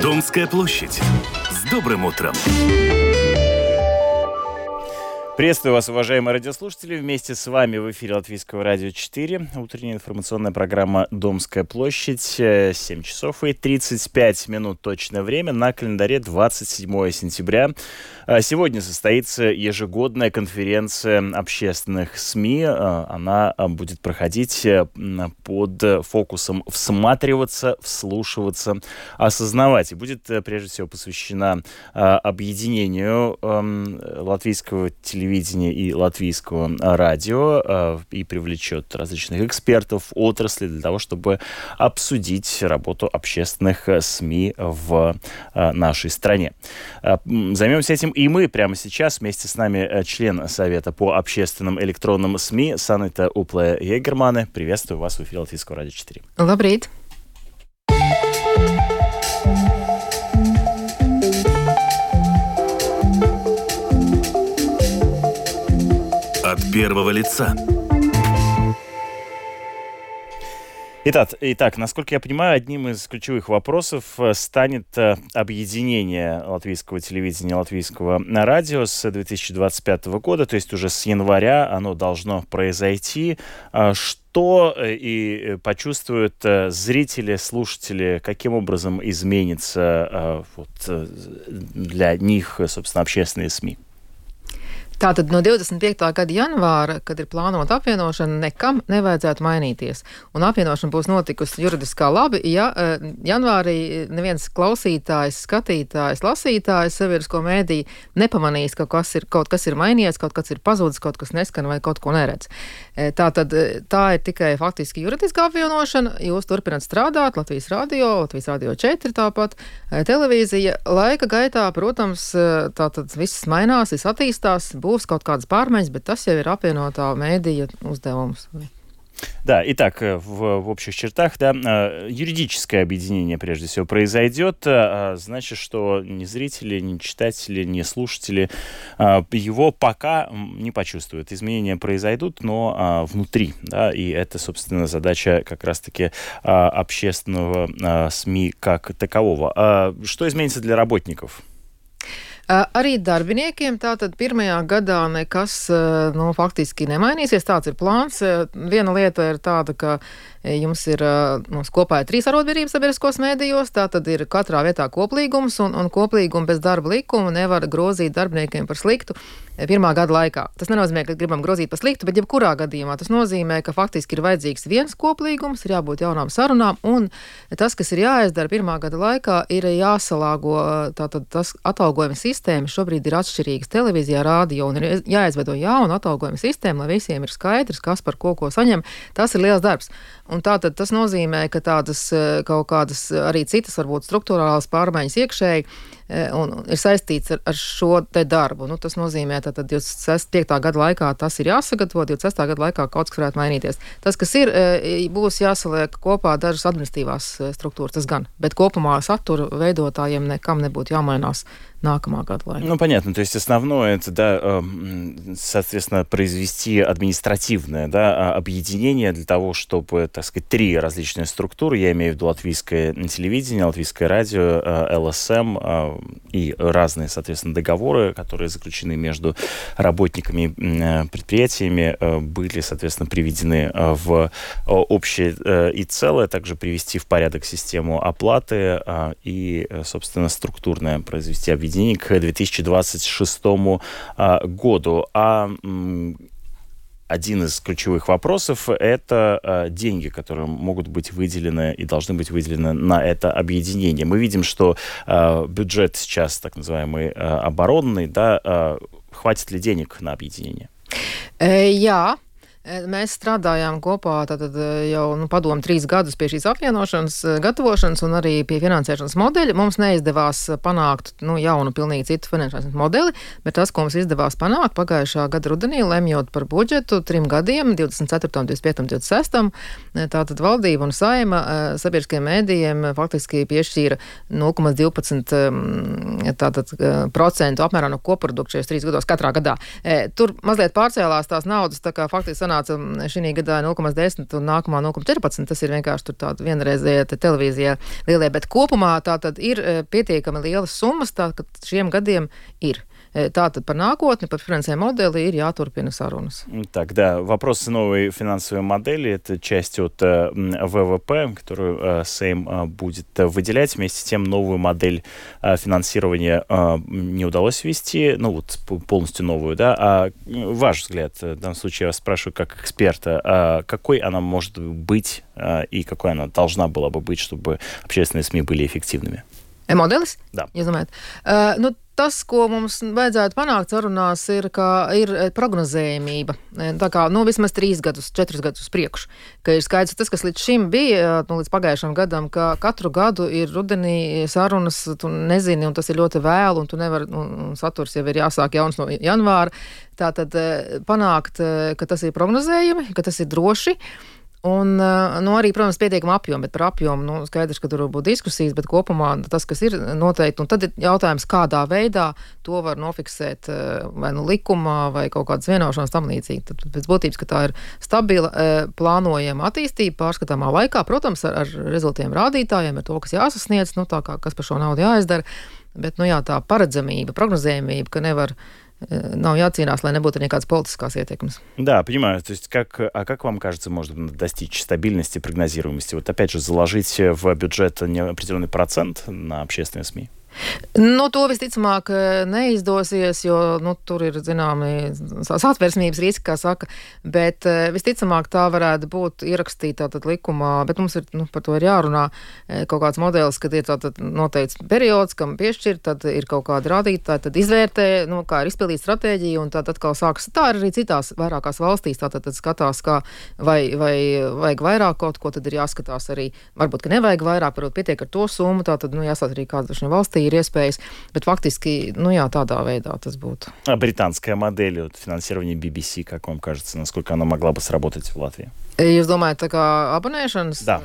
Домская площадь. С добрым утром! Приветствую вас, уважаемые радиослушатели. Вместе с вами в эфире Латвийского радио 4. Утренняя информационная программа «Домская площадь». 7 часов и 35 минут точное время. На календаре 27 сентября. Сегодня состоится ежегодная конференция общественных СМИ. Она будет проходить под фокусом «всматриваться, вслушиваться, осознавать». И будет прежде всего посвящена объединению латвийского телевидения и латвийского радио и привлечет различных экспертов отрасли для того, чтобы обсудить работу общественных СМИ в нашей стране. Займемся этим и мы прямо сейчас. Вместе с нами член Совета по общественным электронным СМИ Санита Упле-Егермане. Приветствую вас в эфире Латвийского радио 4. Лабрīt! От первого лица. Итак, насколько я понимаю, одним из ключевых вопросов станет объединение латвийского телевидения и латвийского радио с 2025 года, то есть уже с января оно должно произойти. Что и почувствуют зрители, слушатели, каким образом изменится для них, собственно, общественные СМИ? Tātad no 25. gada janvāra, kad ir plānota apvienošana, nekam nevajadzētu mainīties. Un apvienošana būs notikusi juridiskā labi, ja janvārī neviens klausītājs, skatītājs, lasītājs sabiedrisko mēdī nepamanīs, ka kaut kas ir mainījies, kaut kas ir pazudis, kaut kas neskan vai kaut ko neredz. Tātad tā ir tikai faktiski juridiskā apvienošana. Jūs turpināt strādāt, Latvijas radio 4 tāpat, televīzija. Laika gaitā, protams, tātad viss mainās, viss attīstās, būs kaut kādas pārmaiņas, bet tas jau ir apvienotā mēdīja uzdevums. Да, итак, в общих чертах, да, юридическое объединение, прежде всего, произойдет. Значит, что ни зрители, ни читатели, ни слушатели его пока не почувствуют. Изменения произойдут, но внутри, да, и это, собственно, задача как раз-таки общественного СМИ как такового. Что изменится для работников? Arī darbiniekiem tātad pirmajā gadā nekas faktiski nemainīsies. Tāds ir plāns. Viena lieta ir tāda, ka jums ir mums kopā ir 3 arotbiedrības sabiedriskos mēdījos, tātad ir katrā vietā koplīgums, un koplīgumu bez darba likuma nevar grozīt darbiniekiem par sliktu pirmā gada laikā. Tas nenozīmē, ka gribam grozīt par sliktu, bet jebkurā gadījumā tas nozīmē, ka faktiski ir vajadzīgs viens koplīgums, ir jābūt jaunām sarunām, un tas, kas ir jāizdara pirmā gada laikā, ir jāsalāgo tātad tas atalgojuma sistēma. Šobrīd ir atšķirīgas televīzijā, rādio, un ir jāizveido jauna atalgojuma sistēma, lai visiem ir skaidrs, kas par ko saņem. Tas ir liels darbs. Un tātad tas nozīmē, ka tādas kaut kādas arī citas varbūt struktūrālās pārmaiņas iekšēji un ir saistīts ar šo te darbu. Tas nozīmē, tātad 25. gada laikā tas ir jāsagatavo, 26. gada laikā kaut kas varētu mainīties. Tas, kas ir, būs jāsaliek kopā dažas administratīvās struktūras, tas gan, bet kopumā satura veidotājiem nekam nebūtu jāmainās нākamā gada laikā. Понятно. То есть основное это, да, соответственно, произвести административное, да, объединение для того, чтобы, так сказать, 3 различные структуры, я имею в виду латвийское телевидение, латвийское радио, ЛСМ и разные, соответственно, договоры, которые заключены между работниками и предприятиями, были, соответственно, приведены в общее и целое, также привести в порядок систему оплаты и, собственно, структурное произвести объединение к 2026 году. Один из ключевых вопросов – это деньги, которые могут быть выделены и должны быть выделены на это объединение. Мы видим, что бюджет сейчас, так называемый оборонный, да, хватит ли денег на объединение? Jā. Mēs strādājām kopā jau padomu 3 gadus pie šīs apvienošanas, gatavošanas un arī pie finansēšanas modeļa. Mums neizdevās panākt jaunu, pilnīgi citu finansēšanas modeli, bet tas, ko mums izdevās panākt pagājušā gada rudenī, lemjot par budžetu 3 gadiem, 24, 25, 26, tātad valdība un saima sabiedriskajiem mēdījiem faktiski piešķīra 0,12% apmērā no koprodukta šajos 3 gados katrā gadā. Tur mazliet pārcēlās tās naudas, tā kā faktiski sanāca šī gadā 0,10 un nākamā 0,14. Tas ir vienkārši tur tāda vienreizēja televīzijā lielie, bet kopumā tātad ir pietiekami lielas summas, tātad šiem gadiem ir. Tātад par накотни, par финансовой модели ir jāturpina sarunas. Так, да, вопрос новой финансовой модели – это часть от ВВП, которую Сейм будет выделять. Вместе с тем новую модель финансирования не удалось ввести, полностью новую, да. А ваш взгляд, в данном случае я вас спрашиваю как эксперта, какой она может быть и какой она должна была бы быть, чтобы общественные СМИ были эффективными? Modelis? Да. Jūs domājat? Tas, ko mums vajadzētu panākt sarunās, ir prognozējamība. Tā kā, vismaz 3 gadus, 4 gadus uz priekšu. Ka ir skaidrs, tas, kas līdz šim bija, līdz pagājušam gadam, ka katru gadu ir rudenī sarunas, tu nezini, un tas ir ļoti vēlu, un tu nevari, saturs jau ir jāsāk jauns no janvāra. Tātad panākt, ka tas ir prognozējami, ka tas ir droši. Un, arī, protams, pietiekama apjoma, bet par apjomu, skaidrs, ka tur būs diskusijas, bet kopumā tas, kas ir noteikti, un tad ir jautājums, kādā veidā to var nofiksēt vai likumā, vai kaut kādas vienošanās tam līdzīgi. Tad pēc būtības, ka tā ir stabila, plānojama attīstība pārskatāmā laikā, protams, ar rezultiem rādītājiem, ar to, kas jāsasniedz, tā kā kas par šo naudu jāizdara, bet, tā paredzamība, prognozējamība, ka nav jācīnās, lai nebūtu никакой политической ietekmes. Да, понимаю. То есть как вам кажется, можно достичь стабильности, прогнозируемости? Вот опять же, заложить в бюджет определенный процент на общественные СМИ? To visticamāk neizdosies, jo tur ir zināmi satversmības riski, kā saka, bet visticamāk tā varētu būt ierakstīta tātad likumā, bet mums ir, par to ir jārunā kaut kāds modelis, kad ir tātad noteikts periods, kam piešķirt, tad ir kaut kādi rādītāji, tad izvērtē, kā ir izpildīt stratēģiju, un tad atkal sākas. Tā ir arī citās vairākās valstīs, tātad skatās, kā vai vajag vairāk kaut ko, tad ir jāskatās arī, varbūt, ka nevajag vairāk, varbūt pietiek ar to summu, tātad, jāsāt arī kāda valstī ir iespējas, bet фактически, tādā вейdā tas būtu. А британская модель финансирования BBC, как вам кажется, насколько она могла бы сработать в Латвии? Jūs domājat, tā kā abonēšanas? Да,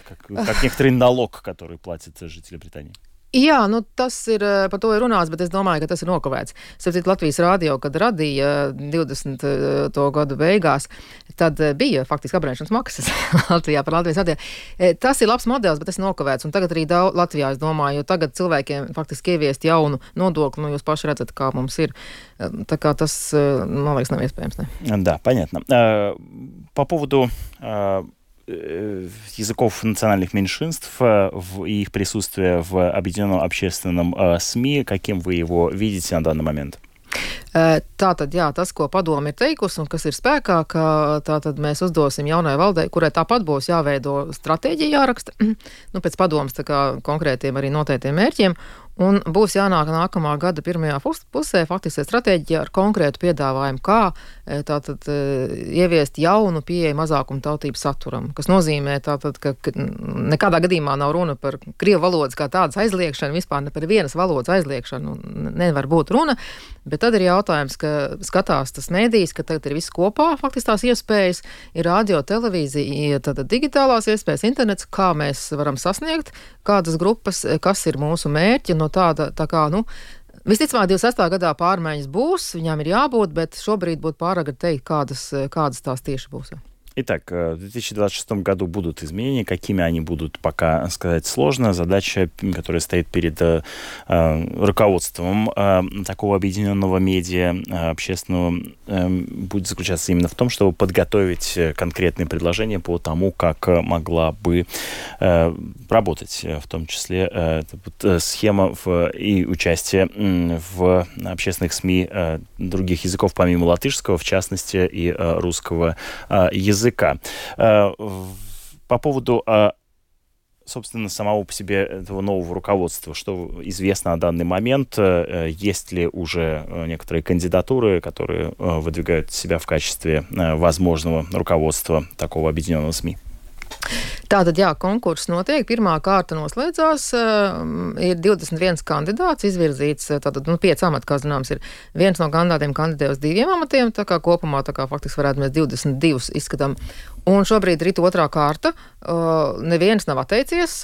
как некоторый налог, который платят жители Британии. Jā, tas ir, par to ir runāts, bet es domāju, ka tas ir nokavēts. Sapratu, Latvijas radio, kad radīja 20. gadu beigās, tad bija faktiski abonēšanas maksas Latvijā par Latvijas radio. Tas ir labs modelis, bet tas ir nokavēts. Un tagad arī Latvijā, es domāju, jo tagad cilvēkiem faktiski ieviest jaunu nodokli, jūs paši redzat, kā mums ir. Tā kā tas, man liekas, nav iespējams. Ne? Да, понятно. По поводу языков национальных меньшинств и их присутствия в объединенном общественном СМИ, каким вы его видите на данный момент? Tātad, jā, tas, ko padome ir teikusi un kas ir spēkā, ka tātad mēs uzdosim jaunai valdei, kurai tāpat būs jāveido stratēģija jāraksta, pēc padomas tā kā konkrētiem arī noteiktiem mērķiem, un būs jānāk nākamā gada pirmajā pusē faktiski stratēģija ar konkrētu piedāvājumu, kā tātad ieviest jaunu pieeju mazākumu tautību saturam, kas nozīmē tātad, ka nekādā gadījumā nav runa par krievu valodas kā tādas aizliekšanu, vispār ne par vienas valodas aizliekšanu nevar būt runa, bet tad ir jautājums, ka skatās tas mēdījis, ka tagad ir viss kopā, faktiski tās iespējas, ir radio, televīzija, tātad digitālās iespējas, internets, kā mēs varam sasniegt, kādas grupas, kas ir mūsu mērķi, no tāda, tā kā, visticamāk, 26. gadā pārmaiņas būs, viņām ir jābūt, bet šobrīd būtu pāragri teikt, kādas tās tieši būs. Итак, в 2026 году будут изменения. Какими они будут, пока сказать сложно. Задача, которая стоит перед руководством такого объединенного медиа общественного, будет заключаться именно в том, чтобы подготовить конкретные предложения по тому, как могла бы работать, в том числе схема и участие в общественных СМИ других языков, помимо латышского, в частности, и русского языка. По поводу собственно, самого по себе этого нового руководства? Что известно на данный момент? Есть ли уже некоторые кандидатуры, которые выдвигают себя в качестве возможного руководства такого объединенного СМИ? Tātad, jā, konkurss notiek. Pirmā kārta noslēdzās. Ir 21 kandidāts izvirzīts. Tātad, 5 amati, kā zināms, ir viens no kandidātiem kandidē uz 2 amatiem. Tā kā kopumā, faktiski varētu mēs 22 izskatām. Un šobrīd ir otrā kārta. Neviens nav atteicies,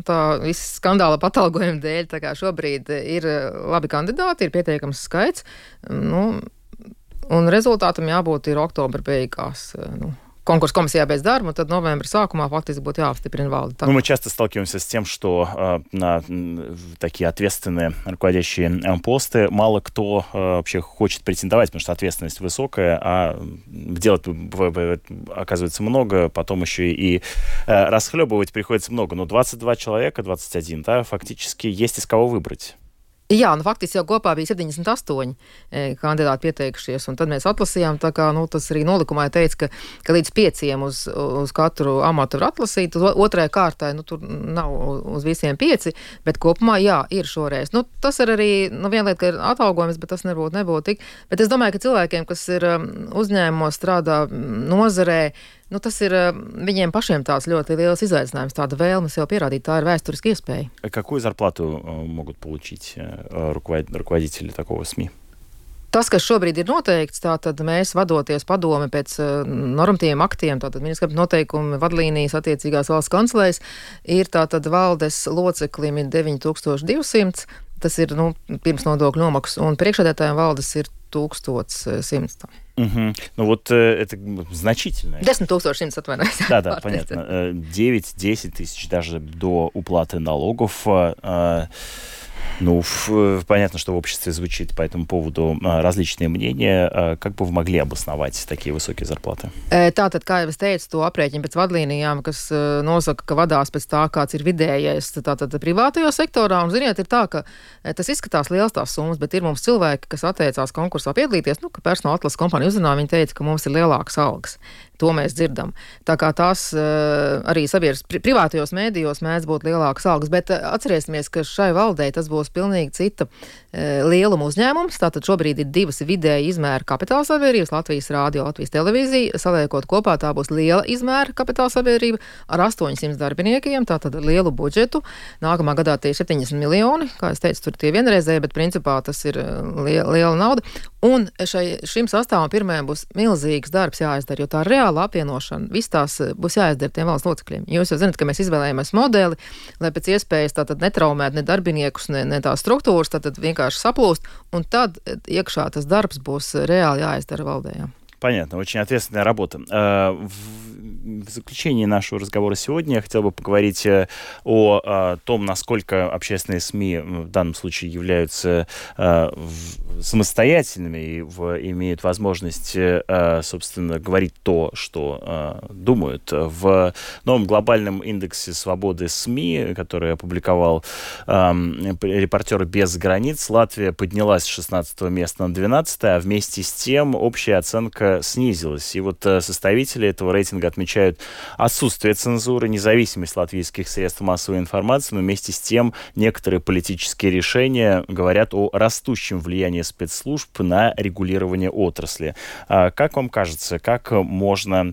tā visa skandāla patalgojuma dēļ. Tā kā šobrīd ir labi kandidāti, ir pietiekams skaits. Un rezultātam jābūt ir oktobra beigās. Конкурс комиссия без дарма, tad novembra sākumā фактически будет jāapstiprina valde. Мы часто сталкиваемся с тем, что на такие ответственные руководящие посты мало кто вообще хочет претендовать, потому что ответственность высокая, а делать оказывается много, потом еще и расхлебывать приходится много. Но 22 человека, 21, да, фактически есть из кого выбрать. Jā, faktiski jau kopā bija 78 kandidāti pieteikušies, un tad mēs atlasījām, tā kā, tas arī nolikumā teica, ka līdz 5 uz katru amatu var atlasīt, otrajai kārtai, tur nav uz visiem 5, bet kopumā, jā, ir šoreiz. Tas ir arī, viena lieta, ka ir atalgojums, bet tas nebūtu tik, bet es domāju, ka cilvēkiem, kas ir uzņēmumos strādā nozarē, tas ir viņiem pašiem tāds ļoti liels izaicinājums, tāda vēlme sev pierādīt, tā ir vēsturiska iespēja. Какую зарплату могут получить руководители такого СМИ? Tas, kas šobrīd ir noteikts, tātad mēs vadoties padome pēc normatīviem aktiem, tātad ministra noteikumi, vadlīnijas attiecīgās valsts kancelēs, ir tātad valdes loceklim ir 9200, tas ir, pirms nodokļu nomaksas, un priekšsēdētājiem valdes ir 1100. Вот это значительно. 10 100, отвинайся. Да, понятно. 9-10 тысяч даже до уплаты налогов. Понятно, что в обществе звучит по этому поводу различные мнения. Как бы вы могли обосновать такие высокие зарплаты? Tātad, kā jau es teicu, to aprēķinu pēc vadlīnijām, kas nosaka, ka vadās pēc tā, kāds ir vidējais tātad privātajā sektorā. Un, ziniet, ir tā, ka tas izskatās liels tās summas, bet ir mums cilvēki, kas atteicās konkursā piedalīties, ka personāla atlases kompānija uzrunā, viņi teica, ka mums ir lielākas algas. To mēs dzirdam. Tā kā tās arī privātajos mēdījos mēdz būt lielākas algas, bet atcerēsimies, ka šai valdei tas būs pilnīgi cita lieluma uzņēmums. Tātad šobrīd ir 2 vidēji izmēra kapitāla sabiedrības, Latvijas Rādio, Latvijas Televīzija. Saliekot kopā, tā būs liela izmēra kapitāla sabiedrība ar 800 darbiniekiem, tātad lielu budžetu. Nākamā gadā tie ir 70 miljoni, kā es teicu, tur tie vienreizēji, bet principā tas ir liela nauda. Un šim sastāvam pirmajam būs milzīgs darbs jāizdara, jo tā reāla apvienošana, viss tās būs jāizdara tiem valsts locekļiem. Jūs jau zināt, ka mēs izvēlējāmies modeli, lai pēc iespējas tātad netraumēt ne darbiniekus, ne tās struktūras, tātad vienkārši saplūst, un tad iekšā tas darbs būs reāli jāizdara valdējām. Понятно, очень ответственная работа. В заключении нашего разговора сегодня я хотел бы поговорить о том, насколько общественные СМИ в данном случае являются самостоятельными и имеют возможность, собственно, говорить то, что думают. В новом глобальном индексе свободы СМИ, который опубликовал «Репортеры без границ», Латвия поднялась с 16 места на 12, а вместе с тем общая оценка снизилась. И вот составители этого рейтинга отмечают отсутствие цензуры, независимость латвийских средств массовой информации, но вместе с тем некоторые политические решения говорят о растущем влиянии спецслужб на регулирование отрасли. Как вам кажется, как можно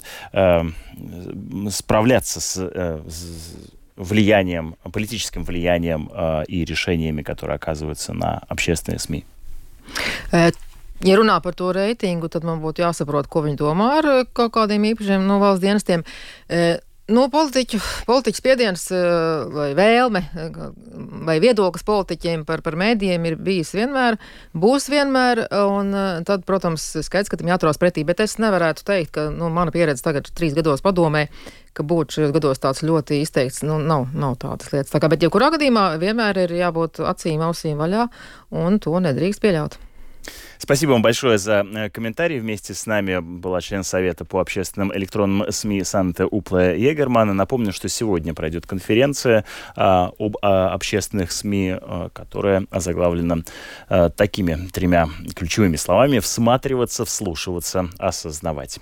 справляться с влиянием, политическим влиянием и решениями, которые оказываются на общественные СМИ? Ja runā par to reitingu, tad man būtu jāsaprot, ko viņi domā ar kaut kādiem īpašiem valsts dienestiem. Politiķu spiediens vai vēlme vai viedoklis politiķiem par mēdījiem ir bijis vienmēr, būs vienmēr, un tad, protams, skaidrs, ka tam jāturās pretī, bet es nevarētu teikt, ka mana pieredze tagad 3 gados padomē, ka būtu šajos gados tāds ļoti izteikts, nav tādas lietas. Tā kā, bet jebkurā gadījumā vienmēr ir jābūt acīm, ausīm vaļā, un to nedrīkst pieļaut. Спасибо вам большое за комментарий. Вместе с нами была член Совета по общественным электронным СМИ Санте Упла Егермана. Напомню, что сегодня пройдет конференция об общественных СМИ, которая озаглавлена такими 3 ключевыми словами: всматриваться, вслушиваться, осознавать.